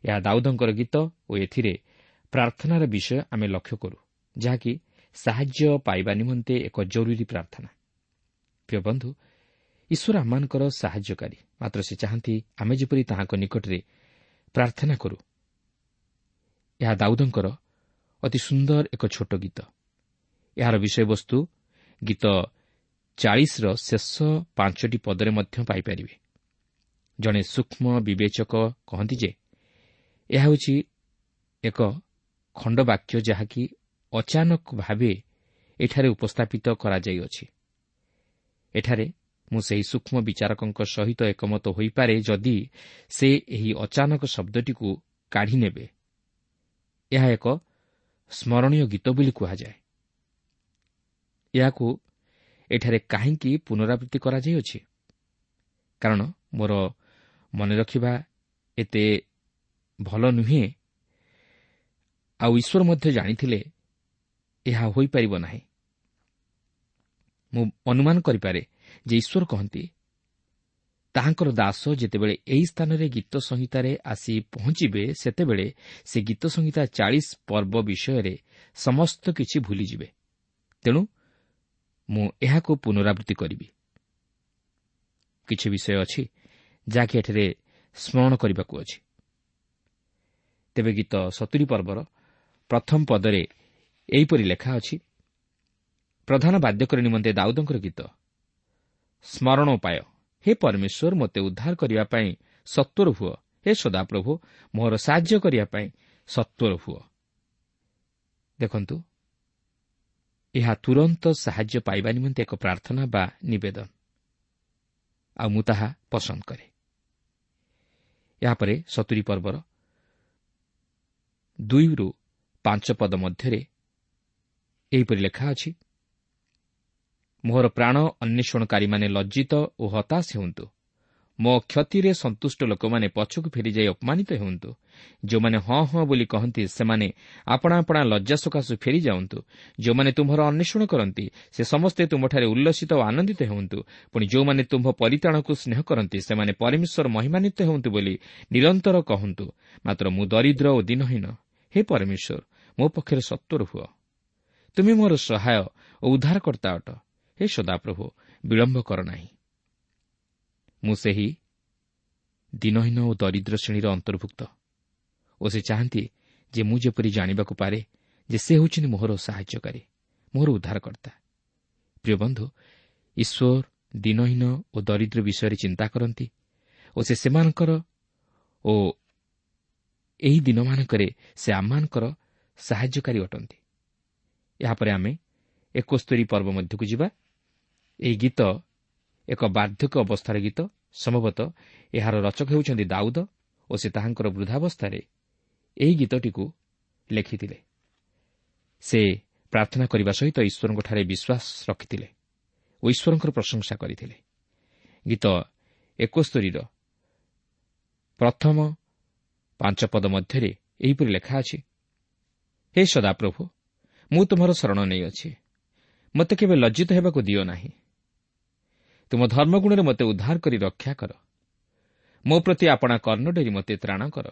ଏହା ଦାଉଦଙ୍କର ଗୀତ ଓ ଏଥିରେ ପ୍ରାର୍ଥନାର ବିଷୟ ଆମେ ଲକ୍ଷ୍ୟ କରୁ, ଯାହାକି ସାହାଯ୍ୟ ପାଇବା ନିମନ୍ତେ ଏକ ଜରୁରୀ ପ୍ରାର୍ଥନା। ପ୍ରିୟ ବନ୍ଧୁ, ଈଶ୍ୱର ଆମମାନଙ୍କର ସାହାଯ୍ୟକାରୀ, ମାତ୍ର ସେ ଚାହାନ୍ତି ଆମେ ଯେପରି ତାହାଙ୍କ ନିକଟରେ ପ୍ରାର୍ଥନା କରୁ। ଏହା ଦାଉଦଙ୍କର ଅତି ସୁନ୍ଦର ଏକ ଛୋଟ ଗୀତ। ଏହାର ବିଷୟବସ୍ତୁ ଗୀତ ଚାଳିଶର ଶେଷ ପାଞ୍ଚଟି ପଦରେ ମଧ୍ୟ ପାଇପାରିବେ। ଜଣେ ସୂକ୍ଷ୍ମ ବିବେଚକ କହନ୍ତି ଯେ ଏହା ହେଉଛି ଏକ ଖଣ୍ଡବାକ୍ୟ ଯାହାକି ଅଚାନକ ଭାବେ ଏଠାରେ ଉପସ୍ଥାପିତ କରାଯାଇଅଛି। ଏଠାରେ ମୁଁ ସେହି ସୂକ୍ଷ୍ମ ବିଚାରକଙ୍କ ସହିତ ଏକମତ ହୋଇପାରେ ଯଦି ସେ ଏହି ଅଚାନକ ଶବ୍ଦଟିକୁ କାଢ଼ିନେବେ। ଏହା ଏକ ସ୍ମରଣୀୟ ଗୀତ ବୋଲି କୁହାଯାଏ। ଏହାକୁ ଏଠାରେ କାହିଁକି ପୁନରାବୃତ୍ତି କରାଯାଇଅଛି? କାରଣ ମୋର ମନେ ରଖିବା ଏତେ ଭଲ ନୁହେଁ, ଆଉ ଈଶ୍ୱର ମଧ୍ୟ ଜାଣିଥିଲେ ଏହା ହୋଇପାରିବ ନାହିଁ। ମୁଁ ଅନୁମାନ କରିପାରେ ଯେ ଈଶ୍ୱର କହନ୍ତି, ତାହାଙ୍କର ଦାସ ଯେତେବେଳେ ଏହି ସ୍ଥାନରେ ଗୀତ ସଂହିତାରେ ଆସି ପହଞ୍ଚିବେ, ସେତେବେଳେ ସେ ଗୀତ ସଂହିତା ଚାଳିଶ ପର୍ବ ବିଷୟରେ ସମସ୍ତ କିଛି ଭୁଲିଯିବେ। ତେଣୁ ମୁଁ ଏହାକୁ ପୁନରାବୃତ୍ତି କରିବି। କିଛି ବିଷୟ ଅଛି ଯାହାକି ଏଠାରେ ସ୍ମରଣ କରିବାକୁ ଅଛି। ତେବେ ଗୀତ ସତୁରି ପର୍ବର ପ୍ରଥମ ପଦରେ ଏହିପରି ଲେଖା ଅଛି, ପ୍ରଧାନ ବାଦ୍ୟକର ନିମନ୍ତେ ଦାଉଦଙ୍କର ଗୀତ, ସ୍ମରଣୋପାୟ। ହେ ପରମେଶ୍ୱର, ମୋତେ ଉଦ୍ଧାର କରିବା ପାଇଁ ସତ୍ୱର ହୁଅ। ହେ ସଦାପ୍ରଭୁ, ମୋର ସାହାଯ୍ୟ କରିବା ପାଇଁ ସତ୍ୱର ହୁଅ। ଦେଖନ୍ତୁ, ଏହା ତୁରନ୍ତ ସାହାଯ୍ୟ ପାଇବା ନିମନ୍ତେ ଏକ ପ୍ରାର୍ଥନା ବା ନିବେଦନ, ଆଉ ମୁଁ ତାହା ପସନ୍ଦ କରେ। ଏହାପରେ ସତୁରି ପର୍ବର ଦୁଇରୁ ପାଞ୍ଚ ପଦ ମଧ୍ୟରେ ଏହିପରି ଲେଖା ଅଛି, ମୋହର ପ୍ରାଣ ଅନ୍ୱେଷଣକାରୀମାନେ ଲଜ୍ଜିତ ଓ ହତାଶ ହେଉନ୍ତୁ। ମୋ କ୍ଷତିରେ ସନ୍ତୁଷ୍ଟ ଲୋକମାନେ ପଛକୁ ଫେରିଯାଇ ଅପମାନିତ ହେଉନ୍ତୁ। ଯେଉଁମାନେ ହଁ ହଁ ବୋଲି କହନ୍ତି, ସେମାନେ ଆପଣା ଆପଣା ଲଜ୍ଜା ସକାଶୁ ଫେରିଯାଉନ୍ତୁ। ଯେଉଁମାନେ ତୁମ୍ଭର ଅନ୍ୱେଷଣ କରନ୍ତି, ସେ ସମସ୍ତେ ତୁମ୍ଭଠାରେ ଉଲ୍ଲସିତ ଓ ଆନନ୍ଦିତ ହେଉନ୍ତୁ। ପୁଣି ଯେଉଁମାନେ ତୁମ୍ଭ ପରିତ୍ରାଣକୁ ସ୍ନେହ କରନ୍ତି, ସେମାନେ ପରମେଶ୍ୱର ମହିମାନ୍ୱିତ ହେଉନ୍ତୁ ବୋଲି ନିରନ୍ତର କହନ୍ତୁ। ମାତ୍ର ମୁଁ ଦରିଦ୍ର ଓ ଦୀନହୀନ। ହେ ପରମେଶ୍ୱର, ମୋ ପକ୍ଷରେ ସତ୍ୱର ହୁଅ। ତୁମେ ମୋର ସହାୟ ଓ ଉଦ୍ଧାରକର୍ତ୍ତା ଅଟ। ହେ ସଦାପ୍ରଭୁ, ବିଳମ୍ବ କର ନାହିଁ। ମୁଁ ସେହି ଦୀନହୀନ ଓ ଦରିଦ୍ର ଶ୍ରେଣୀର ଅନ୍ତର୍ଭୁକ୍ତ, ଓ ସେ ଚାହାନ୍ତି ଯେ ମୁଁ ଯେପରି ଜାଣିବାକୁ ପାରେ ଯେ ସେ ହେଉଛନ୍ତି ମୋହର ସାହାଯ୍ୟକାରୀ, ମୋହର ଉଦ୍ଧାରକର୍ତ୍ତା। ପ୍ରିୟ ବନ୍ଧୁ, ଈଶ୍ୱର ଦୀନହୀନ ଓ ଦରିଦ୍ର ବିଷୟରେ ଚିନ୍ତା କରନ୍ତି ଓ ସେ ସେମାନଙ୍କର ଓ ଏହି ଦିନମାନଙ୍କରେ ସେ ଆମମାନଙ୍କର ସାହାଯ୍ୟକାରୀ ଅଟନ୍ତି। ଏହାପରେ ଆମେ ଏକସ୍ତରୀ ପର୍ବ ମଧ୍ୟକୁ ଯିବା। ଏହି ଗୀତ ଏକ ବାର୍ଦ୍ଧକ୍ୟ ଅବସ୍ଥାର ଗୀତ। ସମ୍ଭବତଃ ଏହାର ରଚକ ହେଉଛନ୍ତି ଦାଉଦ ଓ ସେ ତାହାଙ୍କର ବୃଦ୍ଧାବସ୍ଥାରେ ଏହି ଗୀତଟିକୁ ଲେଖିଥିଲେ। ସେ ପ୍ରାର୍ଥନା କରିବା ସହିତ ଈଶ୍ୱରଙ୍କଠାରେ ବିଶ୍ୱାସ ରଖିଥିଲେ ଓ ଈଶ୍ୱରଙ୍କର ପ୍ରଶଂସା କରିଥିଲେ। ଗୀତ ଏକସ୍ତରୀର ପ୍ରଥମ ପାଞ୍ଚ ପଦ ମଧ୍ୟରେ ଏହିପରି ଲେଖା ଅଛି, ହେ ସଦାପ୍ରଭୁ, ମୁଁ ତୁମର ଶରଣ ନେଇଅଛି, ମୋତେ କେବେ ଲଜ୍ଜିତ ହେବାକୁ ଦିଅ ନାହିଁ। ତୁମ ଧର୍ମଗୁଣରେ ମୋତେ ଉଦ୍ଧାର କରି ରକ୍ଷା କର। ମୋ ପ୍ରତି ଆପଣା କର୍ଣ୍ଣ ଡେରି ମୋତେ ତ୍ରାଣ କର।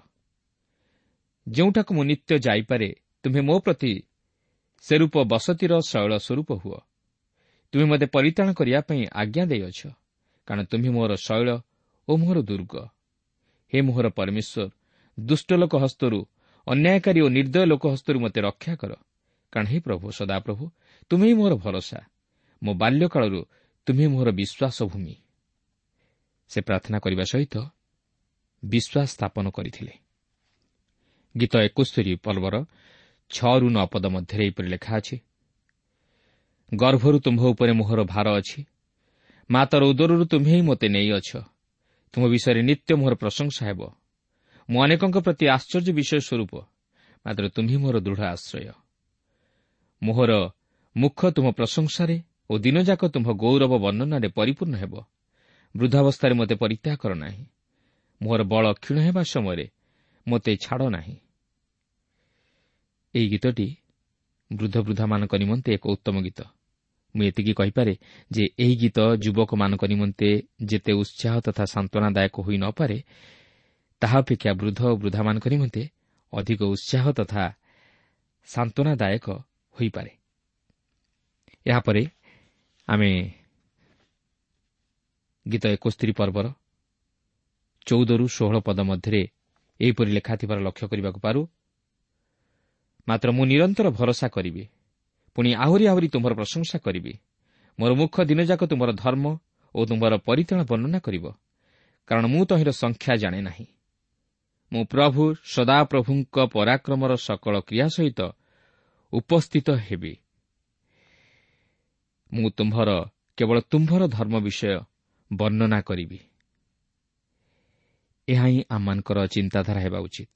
ଯେଉଁଠାକୁ ମୁଁ ନିତ୍ୟ ଯାଇପାରେ, ତୁମେ ମୋ ପ୍ରତି ସେରୂପ ବସତିର ଶୈଳ ସ୍ୱରୂପ ହୁଅ। ତୁମେ ମୋତେ ପରିତ୍ରାଣ କରିବା ପାଇଁ ଆଜ୍ଞା ଦେଇଅଛ, କାରଣ ତୁମେ ମୋର ଶୈଳ ଓ ମୋହର ଦୁର୍ଗ। ହେ ମୋହର ପରମେଶ୍ୱର, ଦୁଷ୍ଟ ଲୋକ ହସ୍ତରୁ, ଅନ୍ୟାୟକାରୀ ଓ ନିର୍ଦ୍ଦୟ ଲୋକ ହସ୍ତରୁ ମୋତେ ରକ୍ଷା କର। କାରଣ ହେ ପ୍ରଭୁ, ସଦାପ୍ରଭୁ, ତୁମେ ହିଁ ମୋର ଭରସା, ମୋ ବାଲ୍ୟକାଳରୁ ତୁମେ ମୋହର ବିଶ୍ୱାସ ଭୂମି। ସେ ପ୍ରାର୍ଥନା କରିବା ସହିତ ବିଶ୍ୱାସ ସ୍ଥାପନ କରିଥିଲେ। ଗୀତ ଏକସ୍ତରୀ ପର୍ବର ଛଅରୁ ନଅ ପଦ ମଧ୍ୟରେ ଏହିପରି ଲେଖା ଅଛି, ଗର୍ଭରୁ ତୁମ୍ଭ ଉପରେ ମୋହର ଭାର ଅଛି, ମାତାର ଉଦରରୁ ତୁମ୍ଭେ ହିଁ ମୋତେ ନେଇଅଛ। ତୁମ ବିଷୟରେ ନିତ୍ୟ ମୋହର ପ୍ରଶଂସା ହେବ। ମୁଁ ଅନେକଙ୍କ ପ୍ରତି ଆଶ୍ଚର୍ଯ୍ୟ ବିଷୟ ସ୍ୱରୂପ, ମାତ୍ର ତୁମ୍ଭେ ମୋର ଦୃଢ଼ ଆଶ୍ରୟ। ମୋହର ମୁଖ ତୁମ ପ୍ରଶଂସାରେ ଓ ଦିନଯାକ ତୁମ୍ଭ ଗୌରବ ବର୍ଣ୍ଣନାରେ ପରିପୂର୍ଣ୍ଣ ହେବ। ବୃଦ୍ଧାବସ୍ଥାରେ ମୋତେ ପରିତ୍ୟାଗ କର ନାହିଁ, ମୋହର ବଳ କ୍ଷୀଣ ହେବା ସମୟରେ ମୋତେ ଛାଡ଼ ନାହିଁ। ଏହି ଗୀତଟି ବୃଦ୍ଧବୃଦ୍ଧାମାନଙ୍କ ନିମନ୍ତେ ଏକ ଉତ୍ତମ ଗୀତ। ମୁଁ ଏତିକି କହିପାରେ ଯେ ଏହି ଗୀତ ଯୁବକମାନଙ୍କ ନିମନ୍ତେ ଯେତେ ଉତ୍ସାହ ତଥା ସାନ୍ତ୍ୱନାଦାୟକ ହୋଇନପାରେ, ତାହା ଅପେକ୍ଷା ବୃଦ୍ଧ ଓ ବୃଦ୍ଧାମାନଙ୍କ ନିମନ୍ତେ ଅଧିକ ଉତ୍ସାହ ତଥା ସାନ୍ତ୍ୱନାଦାୟକ ହୋଇପାରେ। ଏହାପରେ ଆମେ ଗୀତ ଏକସ୍ତରୀ ପର୍ବର ଚଉଦରୁ ଷୋହଳ ପଦ ମଧ୍ୟରେ ଏହିପରି ଲେଖା ଥିବାର ଲକ୍ଷ୍ୟ କରିବାକୁ ପାରୁ, ମାତ୍ର ମୁଁ ନିରନ୍ତର ଭରସା କରିବି, ପୁଣି ଆହୁରି ଆହୁରି ତୁମର ପ୍ରଶଂସା କରିବି। ମୋର ମୁଖ ଦିନଯାକ ତୁମର ଧର୍ମ ଓ ତୁମର ପରିତ୍ରାଣ ବର୍ଣ୍ଣନା କରିବ, କାରଣ ମୁଁ ତହିଁର ସଂଖ୍ୟା ଜାଣେ ନାହିଁ। ମୁଁ ପ୍ରଭୁ ସଦାପ୍ରଭୁଙ୍କ ପରାକ୍ରମର ସକଳ କ୍ରିୟା ସହିତ ଉପସ୍ଥିତ ହେବି। ମୁଁ ତୁମ୍ଭର କେବଳ ତୁମ୍ଭର ଧର୍ମ ବିଷୟ ବର୍ଣ୍ଣନା କରିବି। ଏହା ହିଁ ଆମମାନଙ୍କର ଚିନ୍ତାଧାରା ହେବା ଉଚିତ।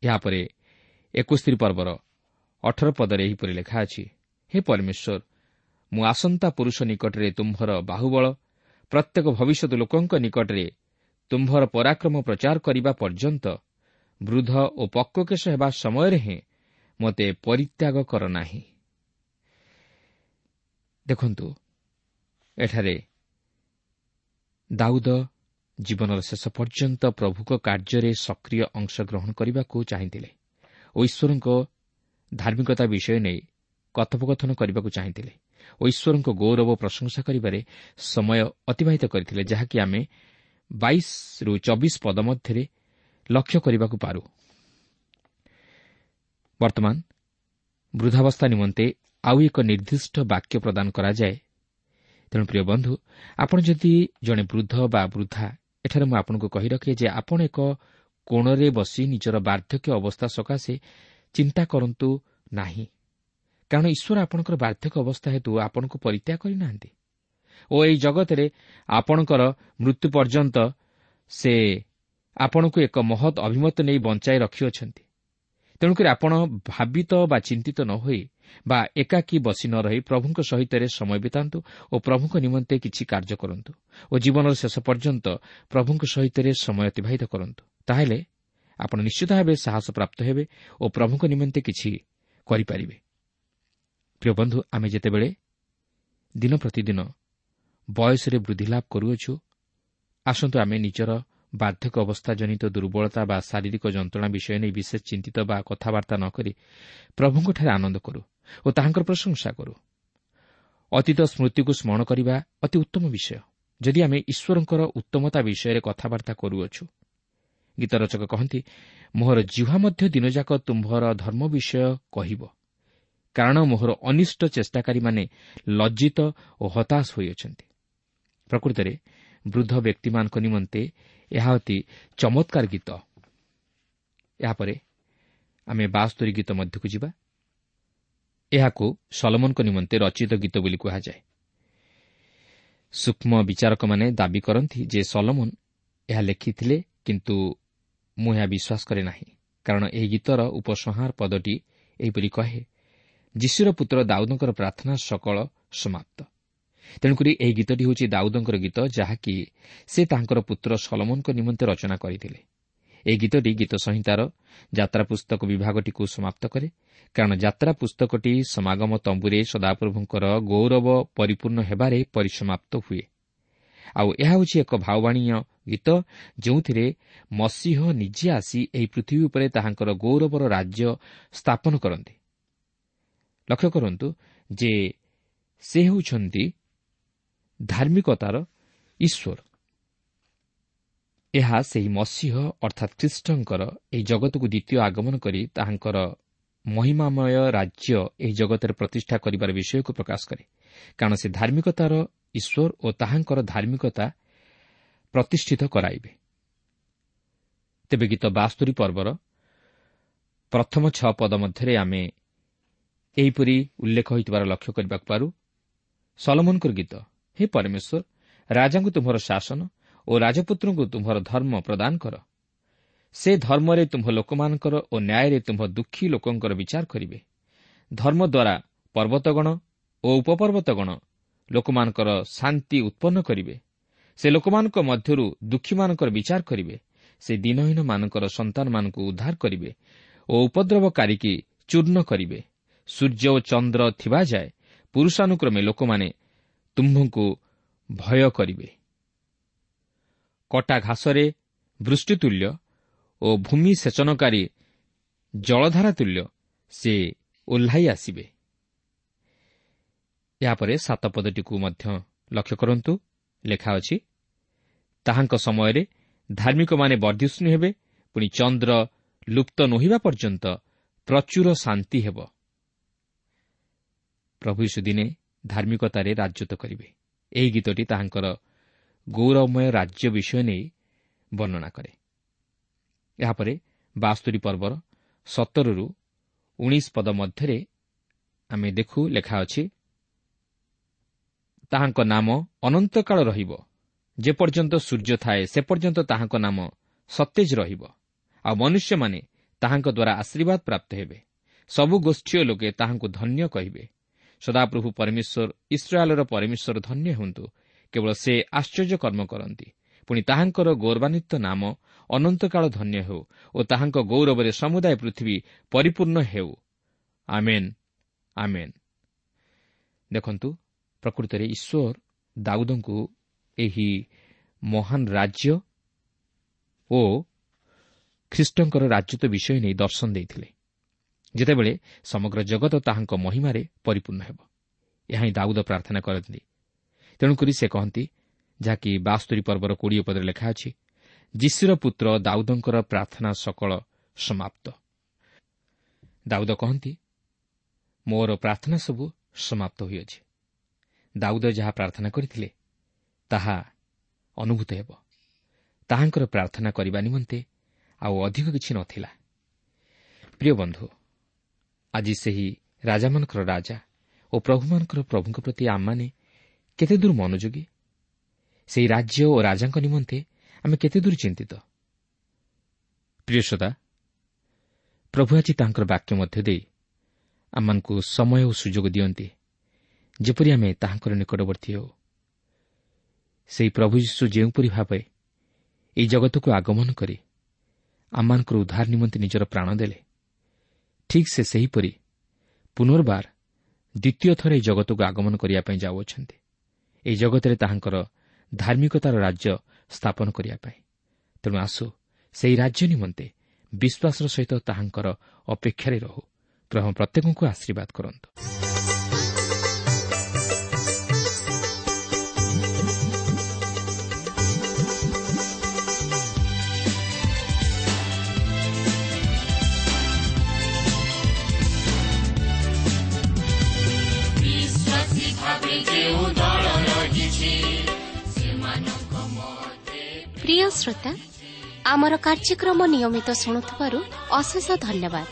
ଏହାପରେ ଏକସ୍ତରୀ ପର୍ବର ଅଠର ପଦରେ ଏହିପରି ଲେଖା ଅଛି, ହେ ପରମେଶ୍ୱର, ମୁଁ ଆସନ୍ତା ପୁରୁଷ ନିକଟରେ ତୁମ୍ଭର ବାହୁବଳ, ପ୍ରତ୍ୟେକ ଭବିଷ୍ୟତ ଲୋକଙ୍କ ନିକଟରେ ତୁମ୍ଭର ପରାକ୍ରମ ପ୍ରଚାର କରିବା ପର୍ଯ୍ୟନ୍ତ ବୃଦ୍ଧ ଓ ପକ୍ୱକେଶ ହେବା ସମୟରେ ହିଁ ମୋତେ ପରିତ୍ୟାଗ କର ନାହିଁ। ଦେଖନ୍ତୁ, ଏଠାରେ ଦାଉଦ ଜୀବନର ଶେଷ ପର୍ଯ୍ୟନ୍ତ ପ୍ରଭୁଙ୍କ କାର୍ଯ୍ୟରେ ସକ୍ରିୟ ଅଂଶଗ୍ରହଣ କରିବାକୁ ଚାହିଁଥିଲେ ଓ ଈଶ୍ୱରଙ୍କ ଧାର୍ମିକତା ବିଷୟ ନେଇ କଥୋପକଥନ କରିବାକୁ ଚାହିଁଥିଲେ ଓ ଈଶ୍ୱରଙ୍କ ଗୌରବ ପ୍ରଶଂସା କରିବାରେ ସମୟ ଅତିବାହିତ କରିଥିଲେ, ଯାହାକି ଆମେ ବାଇଶରୁ ଚବିଶ ପଦ ମଧ୍ୟରେ ଲକ୍ଷ୍ୟ କରିବାକୁ ପାରୁ। ବର୍ତ୍ତମାନ ବୃଦ୍ଧାବସ୍ଥା ନିମନ୍ତେ ଆଉ ଏକ ନିର୍ଦ୍ଦିଷ୍ଟ ବାକ୍ୟ ପ୍ରଦାନ କରାଯାଏ। ତେଣୁ ପ୍ରିୟ ବନ୍ଧୁ, ଆପଣ ଯଦି ଜଣେ ବୃଦ୍ଧ ବା ବୃଦ୍ଧା, ଏଠାରେ ମୁଁ ଆପଣଙ୍କୁ କହି ରଖେ ଯେ ଆପଣ ଏକ କୋଣରେ ବସି ନିଜର ବାର୍ଦ୍ଧକ୍ୟ ଅବସ୍ଥା ସକାଶେ ଚିନ୍ତା କରନ୍ତୁ ନାହିଁ, କାରଣ ଈଶ୍ୱର ଆପଣଙ୍କର ବାର୍ଦ୍ଧକ୍ୟ ଅବସ୍ଥା ହେତୁ ଆପଣଙ୍କୁ ପରିତ୍ୟାଗ କରିନାହାନ୍ତି ଓ ଏହି ଜଗତରେ ଆପଣଙ୍କର ମୃତ୍ୟୁ ପର୍ଯ୍ୟନ୍ତ ସେ ଆପଣଙ୍କୁ ଏକ ମହତ୍ ଅଭିମତ ନେଇ ବଞ୍ଚାଇ ରଖିଅଛନ୍ତି। ତେଣୁକରି ଆପଣ ଭାବିତ ବା ଚିନ୍ତିତ ନ ହୋଇ ବା ଏକାକୀ ବସି ନ ରହି ପ୍ରଭୁଙ୍କ ସହିତ ସମୟ ବିତାନ୍ତୁ ଓ ପ୍ରଭୁଙ୍କ ନିମନ୍ତେ କିଛି କାର୍ଯ୍ୟ କରନ୍ତୁ ଓ ଜୀବନର ଶେଷ ପର୍ଯ୍ୟନ୍ତ ପ୍ରଭୁଙ୍କ ସହିତ ସମୟ ଅତିବାହିତ କରନ୍ତୁ। ତାହେଲେ ଆପଣ ନିଶ୍ଚିତ ଭାବେ ସାହସ ପ୍ରାପ୍ତ ହେବେ ଓ ପ୍ରଭୁଙ୍କ ନିମନ୍ତେ କିଛି କରିପାରିବେ। ପ୍ରିୟ ବନ୍ଧୁ, ଆମେ ଯେତେବେଳେ ଦିନ ପ୍ରତିଦିନ ବୟସରେ ବୃଦ୍ଧି ଲାଭ କରୁଅଛୁ, ଆସନ୍ତୁ ଆମେ ନିଜର ବାର୍ଦ୍ଧକ୍ୟ ଅବସ୍ଥା ଜନିତ ଦୁର୍ବଳତା ବା ଶାରୀରିକ ଯନ୍ତ୍ରଣା ବିଷୟ ନେଇ ବିଶେଷ ଚିନ୍ତିତ ବା କଥାବାର୍ତ୍ତା ନ କରି ପ୍ରଭୁଙ୍କଠାରେ ଆନନ୍ଦ କରୁ ଓ ତାହାଙ୍କର ପ୍ରଶଂସା କରୁ। ଅତୀତ ସ୍ମୃତିକୁ ସ୍ମରଣ କରିବା ଅତି ଉତ୍ତମ ବିଷୟ, ଯଦି ଆମେ ଈଶ୍ୱରଙ୍କର ଉତ୍ତମତା ବିଷୟରେ କଥାବାର୍ତ୍ତା କରୁଅଛୁ। ଗୀତ ରଚକ କହନ୍ତି, ମୋହର ଜିହ୍ୱା ମଧ୍ୟ ଦିନଯାକ ତୁମ୍ଭର ଧର୍ମ ବିଷୟ କହିବ, କାରଣ ମୋହର ଅନିଷ୍ଟ ଚେଷ୍ଟାକାରୀମାନେ ଲଜ୍ଜିତ ଓ ହତାଶ ହୋଇଅଛନ୍ତି। ପ୍ରକୃତରେ ବୃଦ୍ଧ ବ୍ୟକ୍ତିମାନଙ୍କ ନିମନ୍ତେ ଏହା ଅତି ଚମତ୍କାର ଗୀତ। ଏହାପରେ ଆମେ ବାସ୍ତରୀ ଗୀତ ମଧ୍ୟକୁ ଯିବା। ଏହାକୁ ସଲମନଙ୍କ ନିମନ୍ତେ ରଚିତ ଗୀତ ବୋଲି କୁହାଯାଏ। ସୂକ୍ଷ୍ମ ବିଚାରକମାନେ ଦାବି କରନ୍ତି ଯେ ସଲମନ ଏହା ଲେଖିଥିଲେ, କିନ୍ତୁ ମୁଁ ଏହା ବିଶ୍ୱାସ କରେ ନାହିଁ, କାରଣ ଏହି ଗୀତର ଉପସଂହାର ପଦଟି ଏହିପରି କହେ, ଯିଶୁର ପୁତ୍ର ଦାଉଦଙ୍କର ପ୍ରାର୍ଥନା ସକଳ ସମାପ୍ତ। ତେଣୁକରି ଏହି ଗୀତଟି ହେଉଛି ଦାଉଦଙ୍କର ଗୀତ, ଯାହାକି ସେ ତାଙ୍କର ପୁତ୍ର ସଲମନଙ୍କ ନିମନ୍ତେ ରଚନା କରିଥିଲେ। ଏହି ଗୀତଟି ଗୀତ ସଂହିତାର ଯାତ୍ରା ପୁସ୍ତକ ବିଭାଗଟିକୁ ସମାପ୍ତ କରେ, କାରଣ ଯାତ୍ରା ପୁସ୍ତକଟି ସମାଗମ ତମ୍ବୁରେ ସଦାପ୍ରଭୁଙ୍କର ଗୌରବ ପରିପୂର୍ଣ୍ଣ ହେବାରେ ପରିସମାପ୍ତ ହୁଏ। ଆଉ ଏହା ହେଉଛି ଏକ ଭାବବାଣୀୟ ଗୀତ, ଯେଉଁଥିରେ ମସିହ ନିଜେ ଆସି ଏହି ପୃଥିବୀ ଉପରେ ତାହାଙ୍କର ଗୌରବର ରାଜ୍ୟ ସ୍ଥାପନ କରନ୍ତି। ଲକ୍ଷ୍ୟ କରନ୍ତୁ ଯେ ସେ ହେଉଛନ୍ତି ଧାର୍ମିକତାର ଈଶ୍ୱର। ଏହା ସେହି ମସିହ ଅର୍ଥାତ୍ ଖ୍ରୀଷ୍ଟଙ୍କର ଏହି ଜଗତକୁ ଦ୍ୱିତୀୟ ଆଗମନ କରି ତାହାଙ୍କର ମହିମାମୟ ରାଜ୍ୟ ଏହି ଜଗତରେ ପ୍ରତିଷ୍ଠା କରିବାର ବିଷୟକୁ ପ୍ରକାଶ କରେ, କାରଣ ସେ ଧାର୍ମିକତାର ଈଶ୍ୱର ଓ ତାହାଙ୍କର ଧାର୍ମିକତା ପ୍ରତିଷ୍ଠିତ କରାଇବେ। ତେବେ ଗୀତ ବାସ୍ତରୀ ପର୍ବର ପ୍ରଥମ ଛଅ ପଦ ମଧ୍ୟରେ ଆମେ ଏହିପରି ଉଲ୍ଲେଖ ହୋଇଥିବାର ଲକ୍ଷ୍ୟ କରିବାକୁ ପାରୁ। ସଲମନଙ୍କର ଗୀତ, ହେ ପରମେଶ୍ୱର, ରାଜାଙ୍କୁ ତୁମ୍ଭର ଶାସନ ଓ ରାଜପୁତ୍ରଙ୍କୁ ତୁମ୍ଭର ଧର୍ମ ପ୍ରଦାନ କର। ସେ ଧର୍ମରେ ତୁମ୍ଭ ଲୋକମାନଙ୍କର ଓ ନ୍ୟାୟରେ ତୁମ୍ଭ ଦୁଃଖୀ ଲୋକଙ୍କର ବିଚାର କରିବେ। ଧର୍ମ ଦ୍ୱାରା ପର୍ବତଗଣ ଓ ଉପପର୍ବତଗଣ ଲୋକମାନଙ୍କର ଶାନ୍ତି ଉତ୍ପନ୍ନ କରିବେ। ସେ ଲୋକମାନଙ୍କ ମଧ୍ୟରୁ ଦୁଃଖୀମାନଙ୍କର ବିଚାର କରିବେ। ସେ ଦୀନହୀନମାନଙ୍କର ସନ୍ତାନମାନଙ୍କୁ ଉଦ୍ଧାର କରିବେ ଓ ଉପଦ୍ରବକାରୀକି ଚୂର୍ଣ୍ଣ କରିବେ। ସୂର୍ଯ୍ୟ ଓ ଚନ୍ଦ୍ର ଥିବା ଯାଏ ପୁରୁଷାନୁକ୍ରମେ ଲୋକମାନେ ତୁମ୍ଭଙ୍କୁ ଭୟ କରିବେ। କଟା ଘାସରେ ବୃଷ୍ଟିତୁଲ୍ୟ ଓ ଭୂମି ସେଚନକାରୀ ଜଳଧାରା ତୁଲ୍ୟ ସେ ଓହ୍ଲାଇ ଆସିବେ। ଏହାପରେ ସାତ ପଦଟିକୁ ମଧ୍ୟ ଲକ୍ଷ୍ୟ କରନ୍ତୁ। ଲେଖା ଅଛି, ତାହାଙ୍କ ସମୟରେ ଧାର୍ମିକମାନେ ବର୍ଦ୍ଧିଷ୍ଣୁ ହେବେ, ପୁଣି ଚନ୍ଦ୍ର ଲୁପ୍ତ ନୋହିବା ପର୍ଯ୍ୟନ୍ତ ପ୍ରଚୁର ଶାନ୍ତି ହେବ। ପ୍ରଭୁ ଯୀଶୁ ଦିନେ ଧାର୍ମିକତାରେ ରାଜତ୍ୱ କରିବେ। ଏହି ଗୀତଟି ତାହାଙ୍କର ଗୌରବମୟ ରାଜ୍ୟ ବିଷୟ ନେଇ ବର୍ଣ୍ଣନା କରେ। ଏହାପରେ ବାସ୍ତୁରୀ ପର୍ବର ସତରରୁ ଉଣେଇଶ ପଦ ମଧ୍ୟରେ ଆମେ ଦେଖୁ ଲେଖା ଅଛି, ତାହାଙ୍କ ନାମ ଅନନ୍ତକାଳ ରହିବ, ଯେପର୍ଯ୍ୟନ୍ତ ସୂର୍ଯ୍ୟ ଥାଏ ସେ ପର୍ଯ୍ୟନ୍ତ ତାହାଙ୍କ ନାମ ସତେଜ ରହିବ, ଆଉ ମନୁଷ୍ୟମାନେ ତାହାଙ୍କ ଦ୍ୱାରା ଆଶୀର୍ବାଦ ପ୍ରାପ୍ତ ହେବେ। ସବୁ ଗୋଷ୍ଠୀୟ ଲୋକେ ତାହାଙ୍କୁ ଧନ୍ୟ କହିବେ। ସଦାପ୍ରଭୁ ପରମେଶ୍ୱର ଇସ୍ରାଏଲର ପରମେଶ୍ୱର ଧନ୍ୟ ହୁଅନ୍ତୁ, କେବଳ ସେ ଆଶ୍ଚର୍ଯ୍ୟ କର୍ମ କରନ୍ତି। ପୁଣି ତାହାଙ୍କର ଗୌରବାନ୍ୱିତ ନାମ ଅନନ୍ତକାଳ ଧନ୍ୟ ହେଉ ଓ ତାହାଙ୍କ ଗୌରବରେ ସମୁଦାୟ ପୃଥିବୀ ପରିପୂର୍ଣ୍ଣ ହେଉ। ଆମେନ୍, ଆମେନ୍। ଦେଖନ୍ତୁ, ପ୍ରକୃତରେ ଈଶ୍ୱର ଦାଉଦଙ୍କୁ ଏହି ମହାନ ରାଜ୍ୟ ଓ ଖ୍ରୀଷ୍ଟଙ୍କର ରାଜତ୍ୱ ବିଷୟ ନେଇ ଦର୍ଶନ ଦେଇଥିଲେ, ଯେତେବେଳେ ସମଗ୍ର ଜଗତ ତାହାଙ୍କ ମହିମାରେ ପରିପୂର୍ଣ୍ଣ ହେବ। ଏହା ହିଁ ଦାଉଦ ପ୍ରାର୍ଥନା କରନ୍ତି। ତେଣୁକରି ସେ କହନ୍ତି, ଯାହାକି ବାସ୍ତୁରୀ ପର୍ବର କୋଡ଼ିଏ ପଦରେ ଲେଖା ଅଛି, ଯିଶିର ପୁତ୍ର ଦାଉଦଙ୍କର ପ୍ରାର୍ଥନା ସକଳ ସମାପ୍ତ। ଦାଉଦ କହନ୍ତି, ମୋର ପ୍ରାର୍ଥନା ସବୁ ସମାପ୍ତ ହୋଇଅଛି। ଦାଉଦ ଯାହା ପ୍ରାର୍ଥନା କରିଥିଲେ ତାହା ଅନୁଭୂତ ହେବ। ତାହାଙ୍କର ପ୍ରାର୍ଥନା କରିବା ନିମନ୍ତେ ଆଉ ଅଧିକ କିଛି ନଥିଲା। ପ୍ରିୟ ବନ୍ଧୁ, ଆଜି ସେହି ରାଜାମାନଙ୍କର ରାଜା ଓ ପ୍ରଭୁମାନଙ୍କର ପ୍ରଭୁଙ୍କ ପ୍ରତି ଆମମାନେ କେତେ ଦୂର ମନୋଯୋଗୀ? ସେହି ରାଜ୍ୟ ଓ ରାଜାଙ୍କ ନିମନ୍ତେ ଆମେ କେତେ ଦୂର ଚିନ୍ତିତ? ପ୍ରିୟ ଶ୍ରୋତା, ପ୍ରଭୁ ଆଜି ତାଙ୍କର ବାକ୍ୟ ମଧ୍ୟ ଦେଇ ଆମମାନଙ୍କୁ ସମୟ ଓ ସୁଯୋଗ ଦିଅନ୍ତି, ଯେପରି ଆମେ ତାହାଙ୍କର ନିକଟବର୍ତ୍ତୀ ହେଉ। ସେହି ପ୍ରଭୁ ଯୀଶୁ ଯେଉଁପରି ଭାବେ ଏହି ଜଗତକୁ ଆଗମନ କରି ଆମମାନଙ୍କର ଉଦ୍ଧାର ନିମନ୍ତେ ନିଜର ପ୍ରାଣ ଦେଲେ, ଠିକ୍ ସେ ସେହିପରି ପୁନର୍ବାର ଦ୍ୱିତୀୟ ଥର ଏହି ଜଗତକୁ ଆଗମନ କରିବା ପାଇଁ ଯାଉଅଛନ୍ତି, ଏହି ଜଗତରେ ତାହାଙ୍କର ଧାର୍ମିକତାର ରାଜ୍ୟ ସ୍ଥାପନ କରିବା ପାଇଁ। ତେଣୁ ଆସୁ ସେହି ରାଜ୍ୟ ନିମନ୍ତେ ବିଶ୍ୱାସର ସହିତ ତାହାଙ୍କର ଅପେକ୍ଷାରେ ରହୁ। ପ୍ରଭୁ ପ୍ରତ୍ୟେକଙ୍କୁ ଆଶୀର୍ବାଦ କରନ୍ତୁ। ପ୍ରିୟ ଶ୍ରୋତା, ଆମର କାର୍ଯ୍ୟକ୍ରମ ନିୟମିତ ଶୁଣୁଥିବାରୁ ଅଶେଷ ଧନ୍ୟବାଦ।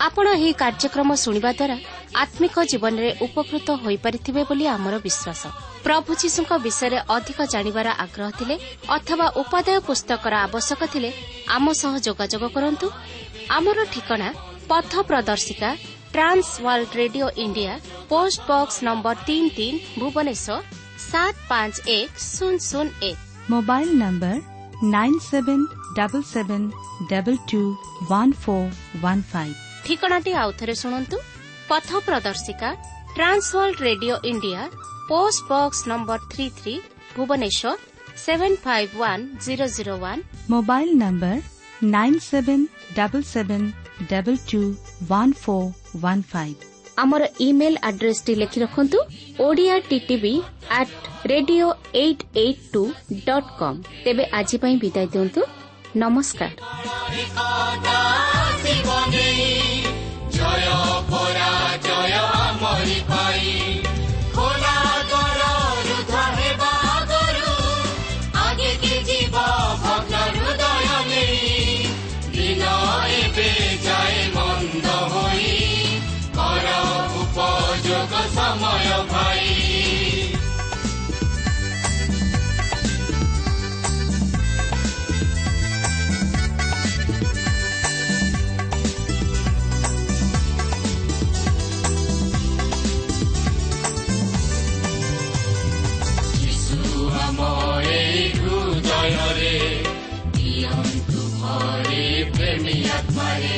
ଆପଣ ଏହି କାର୍ଯ୍ୟକ୍ରମ ଶୁଣିବା ଦ୍ୱାରା ଆତ୍ମିକ ଜୀବନରେ ଉପକୃତ ହୋଇପାରିଥିବେ ବୋଲି ଆମର ବିଶ୍ୱାସ। ପ୍ରଭୁ ଯୀଶୁଙ୍କ ବିଷୟରେ ଅଧିକ ଜାଣିବାର ଆଗ୍ରହ ଥିଲେ ଅଥବା ଉପାଦେୟ ପୁସ୍ତକର ଆବଶ୍ୟକ ଥିଲେ ଆମ ସହ ଯୋଗାଯୋଗ କରନ୍ତୁ। ଆମର ଠିକଣା ପଥ ପ୍ରଦର୍ଶିକା, Trans World Radio India, post box number ତିନି ତିନି, ଭୁବନେଶ୍ୱର ସାତ ପାଞ୍ଚ ଏକ ଶୂନ ଶୂନ ଏକ। Mobile number nine seven double seven double two one four one five. ଠିକଣାଟି ଆଉଥରେ ଶୁଣନ୍ତୁ। ପଥ ପ୍ରଦର୍ଶିକା, Trans World Radio India, post box number three three, Bhubaneswar seven five one zero zero one. Mobile number nine seven double seven double two one four one five. ଆମର email ଆଡ୍ରେସଟି ଲେଖି ରଖନ୍ତୁ, Odia TTV at radio eight eight two dot com. ତେବେ ଆଜି ପାଇଁ ବିଦାୟ ଦିଅନ୍ତୁ। ନମସ୍କାର। ଜୟ ପରାଜୟ ଆମରି ପାଇଁ, ଖୋଲା ଦ୍ୱାର ରୁଦ୍ଧ ହେବା ଆଗରୁ, ଆଗେକି ଯିବ ଭଗ୍ନ ହୃଦୟ ନେଇ। ଦିନ ଏବେ ଯାଏ ମନ୍ଦ ହୋଇ, କର ଉପଯୋଗ ସମୟ ଭାଇ। ହୃଦୟରେ ଦିଅନ୍ତୁ ଭରି ପ୍ରେମୀ ଆତ୍ମାରେ।